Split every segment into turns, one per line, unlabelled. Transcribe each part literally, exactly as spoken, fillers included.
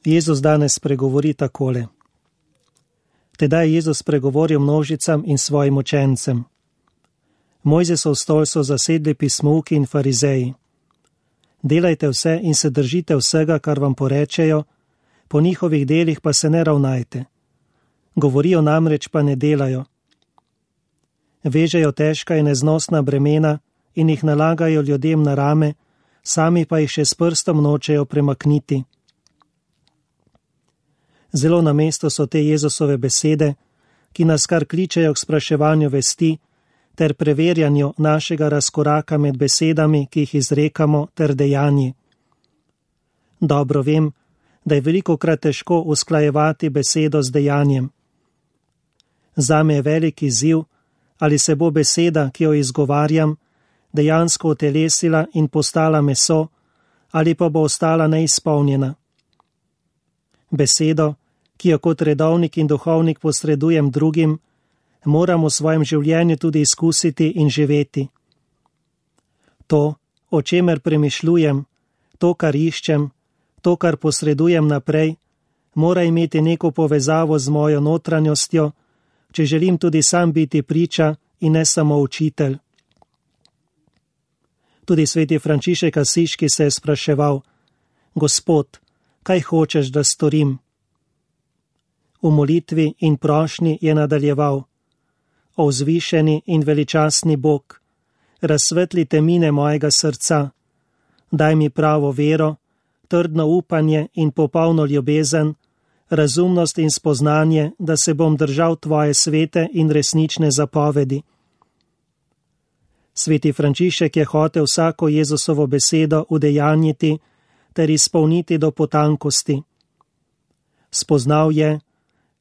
Jezus danes pregovori takole. Tedaj je Jezus pregovoril množicam in svojim učencem. Mojzesov stol so zasedli pismouki in farizeji. Delajte vse in se držite vsega, kar vam porečejo, po njihovih delih pa se ne ravnajte. Govorijo namreč, pa ne delajo. Vežejo težka in neznosna bremena in jih nalagajo ljudem na rame, sami pa jih še s prstom nočejo premakniti. Zelo na mesto so te Jezusove besede, ki nas kar kličejo k spraševanju vesti ter preverjanju našega razkoraka med besedami, ki jih izrekamo, ter dejanji. Dobro vem, da je velikokrat težko usklajevati besedo z dejanjem. Zame je velik izziv, ali se bo beseda, ki jo izgovarjam, dejansko utelesila in postala meso, ali pa bo ostala neizpolnjena. Besedo, ki jo kot redovnik in duhovnik posredujem drugim, moram v svojem življenju tudi izkusiti in živeti. To, o čemer premišljujem, to, kar iščem, to, kar posredujem naprej, mora imeti neko povezavo z mojo notranjostjo, če želim tudi sam biti priča in ne samo učitelj. Tudi sveti Frančišek Asiški se je spraševal: Gospod, kaj hočeš, da storim? V molitvi in prošnji je nadaljeval: O vzvišeni in veličastni Bog, razsvetli temine mojega srca, daj mi pravo vero, trdno upanje in popolno ljubezen, razumnost in spoznanje, da se bom držal tvoje svete in resnične zapovedi. Sveti Frančišek je hotel vsako Jezusovo besedo udejanjiti ter izpolniti do potankosti. Spoznal je,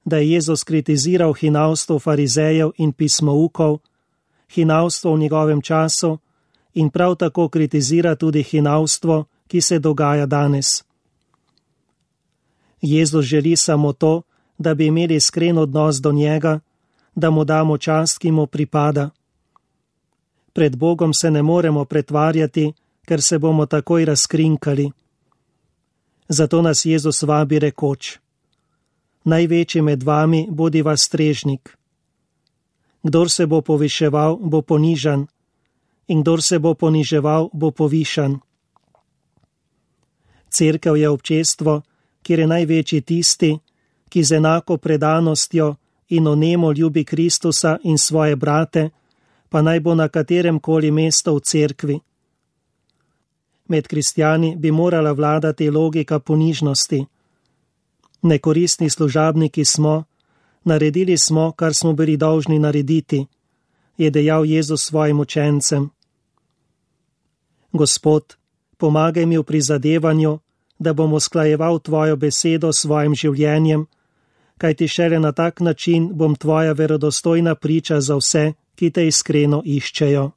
da je Jezus kritiziral hinavstvo farizejev in pismoukov, hinavstvo v njegovem času in prav tako kritizira tudi hinavstvo, ki se dogaja danes. Jezus želi samo to, da bi imeli iskren odnos do njega, da mu damo čast, ki mu pripada. Pred Bogom se ne moremo pretvarjati, ker se bomo takoj razkrinkali. Zato nas Jezus vabi rekoč: Največji med vami bodi vas strežnik. Kdor se bo poviševal, bo ponižan, in kdor se bo poniževal, bo povišan. Cerkev je občestvo, kjer je največji tisti, ki z enako predanostjo in onemo ljubi Kristusa in svoje brate, pa naj bo na katerem koli mesto v cerkvi. Med kristjani bi morala vladati logika ponižnosti. Nekoristni služabniki smo, naredili smo, kar smo bili dolžni narediti, je dejal Jezus svojim učencem. Gospod, pomagaj mi v prizadevanju, da bom usklajeval tvojo besedo s svojim življenjem, kajti šele na tak način bom tvoja verodostojna priča za vse, ki te iskreno iščejo.